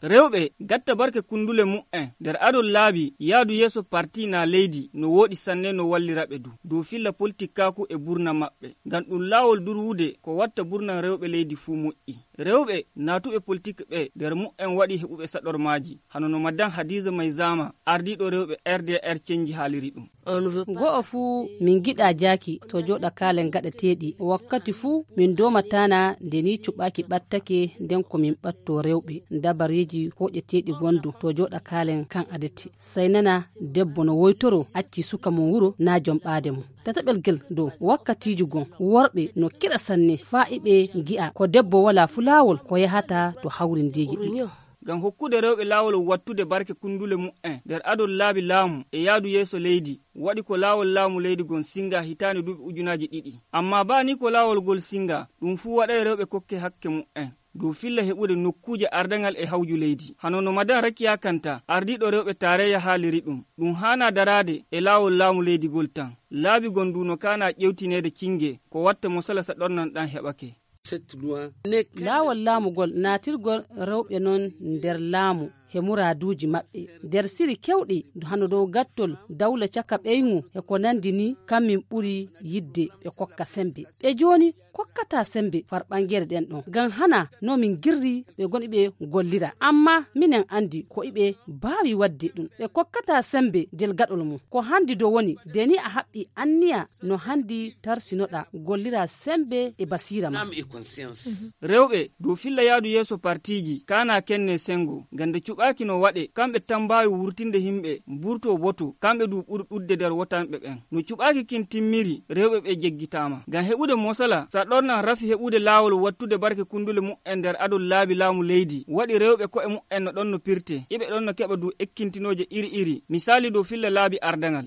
rewɓe gatta barke kundule mu'en nder adol laabi yaadu yeeso parti na leydi no woɗi sanne no walliraɓe dow filla politikaku e burna maɓɓe ngam ɗum laawol durwude ko watta burnan rewɓe leydi fuu moƴƴi. rewɓe naatuɓe politique ɓe nder mu'en waɗi heɓuɓe saɗormaji hano no madan Hadiza Maizama ardiɗo rewɓe RDR cenji haaliri ɗum. Go'o fuu min giɗa jaaki to joɗa kaalen gaɗateɗi wakkati fuu min domatana nde ni cuɓaki ɓattake nden ko min ɓatto rewɓe dabareji hoƴeteɗi gondu to joɗa kaalen kan adati sai nana debbo no woytoro acci suka mum wuro na jom ɓaade mum. Tataɓel gel dow wakkatiji gon worɓe no kiɗa sanne fa'iɓe gi'a ko debbo wala fu laawol ko yahata to hawrindeji ɗi. Ngam hokkude rewɓe laawol wattude barke kundule mu'en nder adol laabi laamu e yaadu yeeso leydi waɗi ko laawol laamu leydi gon singa hitaani duuɓi ujunaji 2. Amma baani ko laawol gol singa ɗum fuu waɗay rewɓe kokke hakke mu'en dow filla heɓude nokkuje ardangal e hawju leydi. Hano no madan Rakiya Kanta ardiɗo rewɓe tareya haaliri ɗum haana darade e laawol laamu leydi gol tan. Laabi gondu no kana ƴewtinede cinge ko watta mo sala sa ɗornan ɗan heɓake. Laawol laamugol naatirgol rewɓe non nder laamu he muraduji maɓɓe nder siri kewɗi hano dow gattol dawla caka ɓeygu e ko nandi ni kammin ɓuri yidde ɓe kokka sembe. Ɓe joni kokkata sembe farɓangere ɗen ɗon ngam hana no min girri ɓe goni ɓe gollira amma minen andi ko iɓe baawi wadde ɗum ɓe kokkata sembe del gaɗol mum ko handi do woni deni a haɓɓi anniya no handi tarsinoɗa gollira sembe e basira ma. Rewɓe dow filla yaadu yeeso partiji kana kenne sengo gande cuɓaki no waɗe kamɓe tan mbawi wurtinde himɓe burto boto kamɓe du ɓuri ɗudde nder wotanɓe ɓen no cuɓaki kin timmiri rewɓe ɓe jeggitama ngam heɓude mosala sa ɗornan rafi heɓude laawol wattude barke kundule mu'en nder adol laabi laamu leydi waɗi rewɓe ko'e mu'en no ɗon no pirte iɓe ɗon no keɓa du ekkintinoje iri misali dow filla laabi ardangal